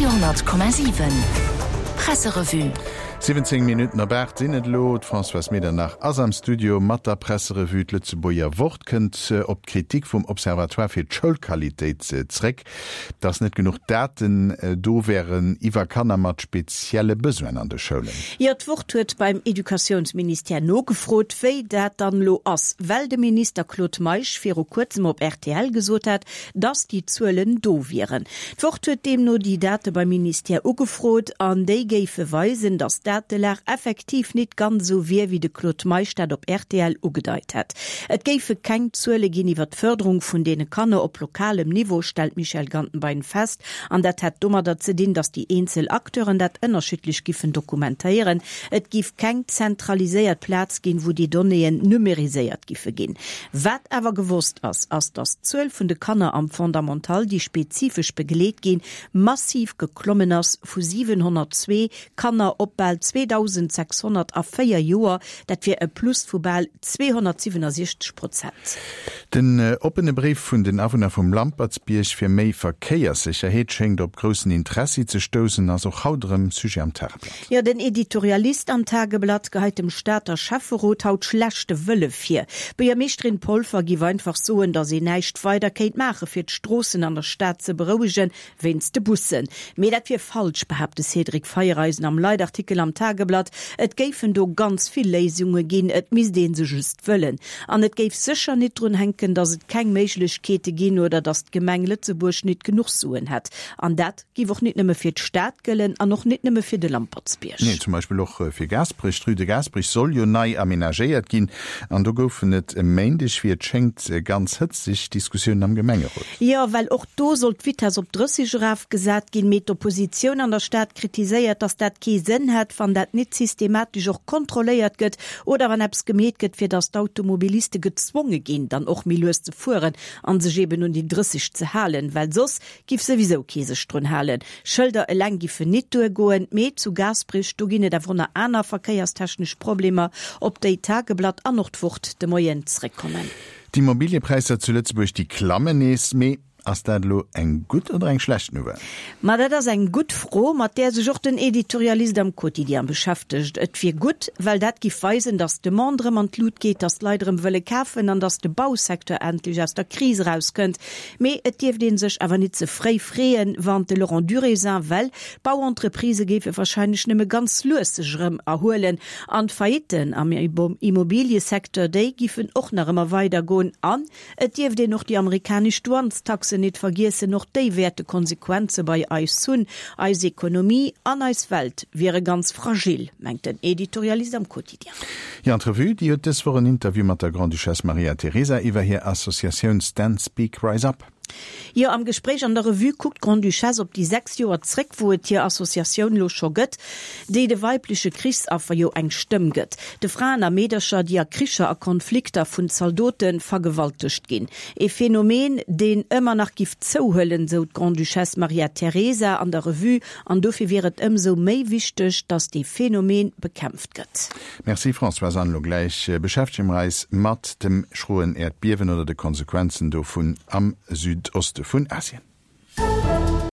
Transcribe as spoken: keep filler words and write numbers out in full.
Radio honnert Komma siwen Presserevue. Siwwenzéng Minutten op aacht sinn et elo. D'Françoise Medernach ass am Studio mat der Presserevue. D'Lëtzebuerger Wort kënnt op d'Kritik vum Observatoire fir d'Schoulqualitéit zréck, dass net genuch Daten do wären iwwer Kanner mat spezielle Besoinen an de Schoulen. Jo, d'Wort huet beim Educatiounsministère nogefrot, wéi dat dann elo ass, well de Minister Claude Meisch viru kuerzem op rtl gesot hat, dass déi Zuelen do wieren. D'Wort huet deemno déi Date beim Ministère ugefrot an déi géife weisen, dass d'Datelag effektiv nit ganz esou wier, wéi de Claude Meisch dat op rtl ugedeit hätt. Et géife keng Zuele ginn iwwer d'Fërderung vun deene Kanner op lokalem Niveau, stellt d'Michèle Gantenbein fest. An dat hätt domadder ze dinn, dass déi eenzel Acteuren dat ënnerschiddlech giffen dokumentéieren. Et giff keng zentraliséiert Plaz ginn, wou déi Donnéeën numeriséiert giffe ginn. Wat awer gewosst ass, ass, dass d'Zuel vun de Kanner am Fondamental, déi spezifesch begleet ginn, massiv geklommen ass, vu siwenhonnertzwee Kanner op bal zweedausendsechshonnert a véier Joer, dat wier e Plus vu bal zweehonnertsiwenasechzeg Prozent. Den oppene Bréif vun den Awunner vum Lampertsbierg fir méi Verkéierssécherheet schéngt op groussen Interessi ze stoussen, ass och haut erëm Sujet am Tageblatt. Jo, den Editorialist am Tageblatt geheit dem Stater Schäfferot haut schlechte Wëlle vir. D'Buergermeeschterin Polfer giff einfach soen, datt een näischt weider kéint maache fir d'Stroossen an der Stad ze berouegen, wéinst de Bussen. Mee dat wier falsch, behaapt de Cédric Feiereisen am Leitartikel am Tageblatt. Et géifen do ganz vill Léisunge ginn, et misst ee se just wëllen. An et géif sécher nit drun hänken, datt et keng Méiglechkeete ginn oder datt d'Gemeng Lëtzebuerg nit genuch Suen hätt. An dat géif och nit nëmme fir d'Stad gëllen an och nit nëmme fir de Lampertsbierg. Nee, zum Beispill och fir Gaasperech. D'Rue de Gasperich soll jo nei amenagéiert ginn an do goufen et e Méindeg, wéi et schéngt, ganz hëtzeg Diskussiounen am Gemengerot. Jo, well och do soll d'Vitess op drësseg erafgesat ginn, mee d'Oppositioun an der Stad kritiséiert, datt dat kee Sënn hätt, wann dat nit systematesch och kontrolléiert gëtt oder wann eppes gemeet gëtt, fir datt d'Automobiliste gezwonge ginn, dann och méi lues ze fueren a sech eben un déi drësseg ze halen, well soss giff souwisou kee sech drun halen. Schëlder eleng giffen nit duergoen, mee zu Gaasperech, do ginn et awer och nach aner verkéierstechnesch Problemer, op déi d'Tageblatt an och d'Wort de Moien zréckkommen. D'Immobiliepräisser zu Lëtzebuerg, déi klammen nees, mee ass dat elo eng gutt oder eng schlecht Nouvelle? Ma dat ass eng gutt Fro, mat där sech och den Editorialist am Quotidien beschäftegt. Et wier gutt, well dat giff weisen, datt d'Demande erëm an d'Lut geet, datt d'Leit erëm wëlle kafen an datt de Bausecteur endlech aus der Kris erauskënnt. Mee et dierft ee sech awer nit ze fréi freeën, warnt de Laurent Durézin, well d'Bauentreprisë géife warscheinlech nëmme ganz lues sech erëm erhuelen an d'Faillitten am Immobiliësecteur, déi giffen och nach ëmmer weidergoen. An et dierft een och déi amerikanesch Douanestaxen nit vergiessen, och déi wäerte Konsequenze bei eis hunn. Eis Ekonomie an eis Welt wiere ganz fragil, mengt den Editorialist am Quotidien. Jo, an d'Revue, déi huet dës Woch en Interview mat der Grande-Duchesse Maria Teresa iwwer hir Associatioun Stand Speak Rise Up. Jo, am Gespréich an der Revue kuckt d'Grande-Duchesse op déi sechs Joer zréck, wou et hir Associatioun lo scho gëtt, déi de weibleche Krichsaffer jo eng Stëmm gëtt, de Fraen a Meedercher, déi a Kricher a Konflikter vun Zaldote vergewaltegt ginn. E Phänomen, deen ëmmer nach giff zouhuelen, sou d'Grande-Duchesse Maria Teresa an der Revue, an dofir wier et ëmsou méi wichteg, datt dee Phänomen bekämpft gëtt. Merci Françoise, an elo gläich beschäftege mer eis mat dem schroen Äerdbiewen oder de Konsequenzen dovun am Südoste vun Asien.